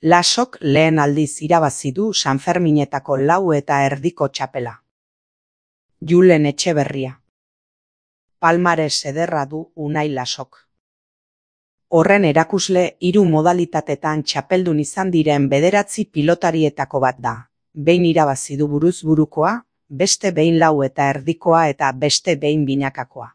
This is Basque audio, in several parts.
Lasok lehen aldiz irabazi du Sanferminetako 4,5 txapela. Julen Etxeberria. Palmares ederra du Unai Lasok. Horren erakusle 3 modalitatetan txapeldun izan diren 9 pilotarietako bat da. Behin irabazi du buruz burukoa, beste behin 4,5koa eta beste behin binakakoa.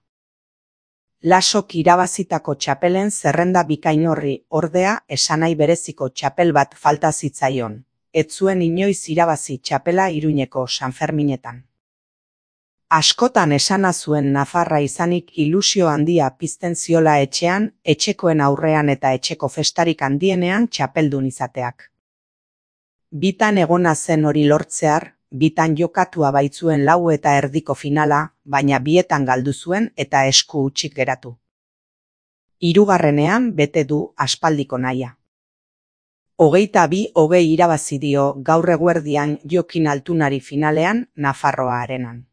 Lasok irabazitako txapelen zerrenda bikain horri, ordea, esanahi bereziko txapel bat falta zitzaion. Ez zuen inoiz irabazi txapela Iruñeko Sanferminetan. Askotan esana zuen nafarra izanik ilusio handia pizten ziola etxean, etxekoen aurrean eta etxeko festarik handienean txapeldun izateak. Bitan egona zen hori lortzear, bitan jokatua baitzuen 4,5ko finala, baina bietan galdu zuen eta esku hutsik geratu. 3. bete du aspaldiko nahia. 22-20 irabazi dio gaur eguerdian Jokin Altunari finalean Nafarroa Arenan.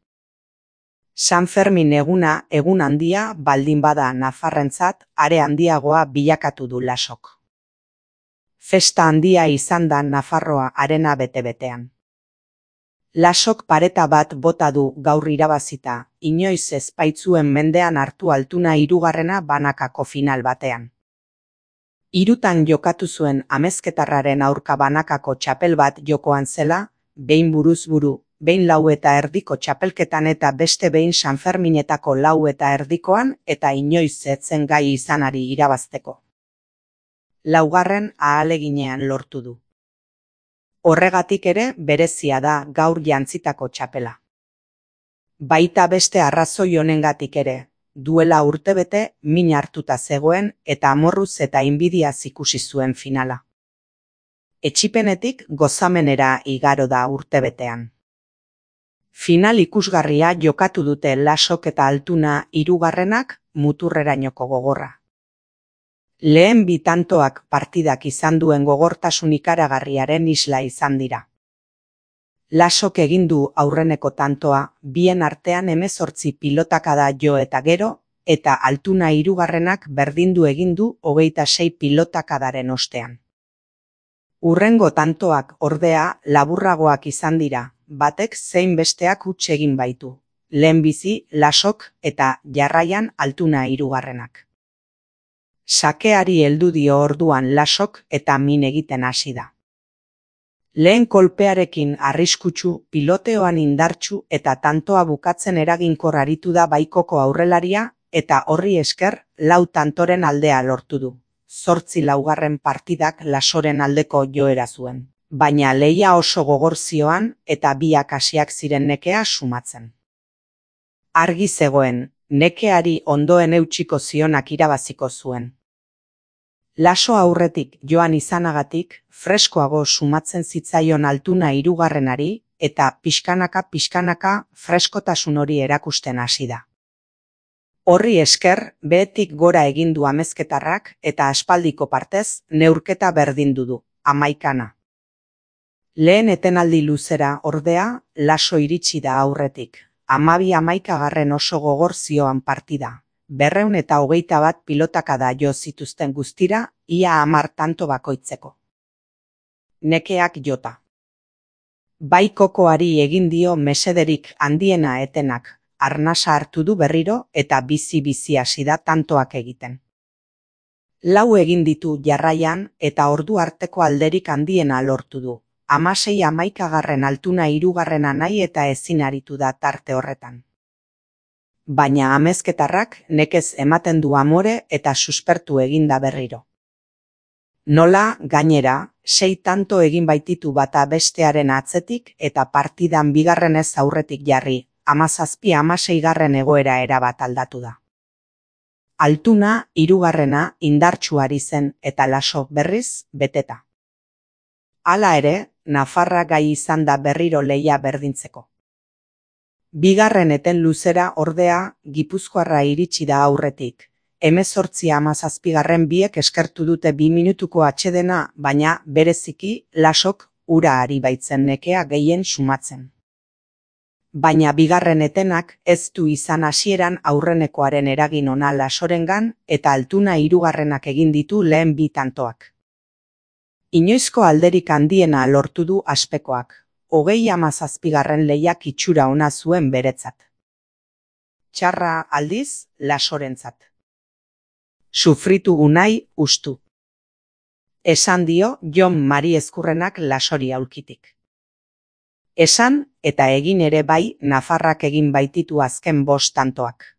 Sanfermin eguna egun handia baldin bada nafarrentzat, are handiagoa bilakatu du Lasok. Festa handia izan da Nafarroa Arena bete-betean. Lasok pareta bat bota du gaur irabazita, inoiz ez baitzuen mendean hartu Altuna 3. banakako final batean. 3 jokatu zuen amezketarraren aurka banakako txapel bat jokoan zela, behin buruz buru, behin 4,5ko txapelketan eta beste behin Sanferminetako 4,5koan eta inoiz etzen gai izanari irabazteko. 4. ahaleginean lortu du. Horregatik ere berezia da gaur jantzitako txapela. Baita beste arrazoi honengatik ere, duela urtebete min hartuta zegoen eta amorruz eta inbidiaz ikusi zuen finala. Etsipenetik gozamenera igaro da urtebetean. Final ikusgarria jokatu dute Lasok eta Altuna 3. muturrerainoko gogorra. Lehen 2 tantoak partidak izan duen gogortasun ikaragarriaren isla izan dira. Lasok egin du aurreneko tantoa, bien artean 18 pilotakada jo eta gero, eta Altuna 3. berdindu egin du 26 pilotakadaren ostean. Hurrengo tantoak ordea laburragoak izan dira, batek zein besteak huts egin baitu. Lehenbizi Lasok eta jarraian Altuna 3. Sakeari heldu dio orduan Lasok eta min egiten hasi da. Lehen kolpearekin arriskutsu, piloteoan indartsu eta tantoa bukatzen eraginkor aritu da baikoko aurrelaria eta horri esker 4 tantoren aldea lortu du. 8 partidak Lasoren aldeko joera zuen, baina lehia oso gogor zioan eta biak hasiak ziren nekea sumatzen. Argi zegoen, nekeari ondoen eutsiko zionak irabaziko zuen. Laso aurretik joan izanagatik, freskoago sumatzen zitzaion Altuna 3. eta pixkanaka freskotasun hori erakusten hasi da. Horri esker, behetik gora egin du amezketarrak eta aspaldiko partez neurketa berdindu du, 11. Lehen etenaldi luzera ordea, Laso iritsi da aurretik, 12-11 oso gogor zioan partida. 221 pilotakada jo zituzten guztira, ia 10 tanto bakoitzeko. Nekeak jota. Bai kokoari egin dio mesederik handiena etenak, arnasa hartu du berriro eta bizi hasi da tantoak egiten. 4 egin ditu jarraian eta ordu arteko alderik handiena lortu du. 16-11 Altuna 3. nahi eta ezin aritu da tarte horretan. Baina amezketarrak nekez ematen du amore eta suspertu eginda berriro. Nola, gainera, 6 tanto egin baititu bata bestearen atzetik eta partidan 2. aurretik jarri, 17-16 egoera erabat aldatu da. Altuna 3. indartsuari zen eta Laso berriz beteta. Hala ere, Nafarra gai izan da berriro lehia berdintzeko. 2. eten luzera ordea Gipuzkoarra iritsi da aurretik. 18-17 biek eskertu dute 2 minutuko atsedena, baina bereziki Lasok ura ari baitzen nekea gehien sumatzen. Baina 2. etenak ez du izan hasieran aurrenekoaren eragin ona Lasorengan eta Altuna 3. egin ditu lehen 2 tantoak. Inoizko alderik handiena lortu du Aspekoak, 37. lehiak itxura ona zuen beretzat. Txarra aldiz, Lasorentzat. Sufritu Unai ustu. Esan dio Jon Mari Ezkurrenak Lasori aulkitik. Esan eta egin ere bai Nafarrak egin baititu azken 5 tantoak.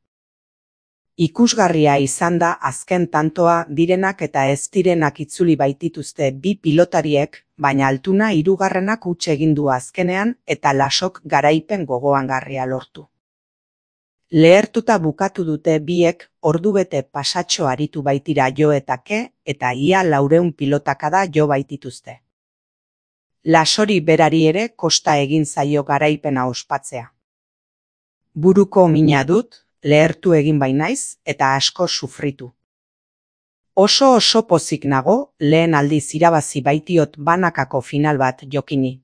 Ikusgarria izan da azken tantoa direnak eta ez direnak itzuli baitituzte bi pilotariek, baina Altuna 3. huts egin du azkenean eta Lasok garaipen gogoangarria lortu. Lehertuta bukatu dute biek, ordubete pasatxo aritu baitira jo eta ke, eta ia 400 pilotakada jo baitituzte. Lasori berari ere kosta egin zaio garaipena ospatzea. Buruko mina dut, lehertu egin bainaiz eta asko sufritu. Oso pozik nago, lehen aldiz irabazi baitiot banakako final bat jokini.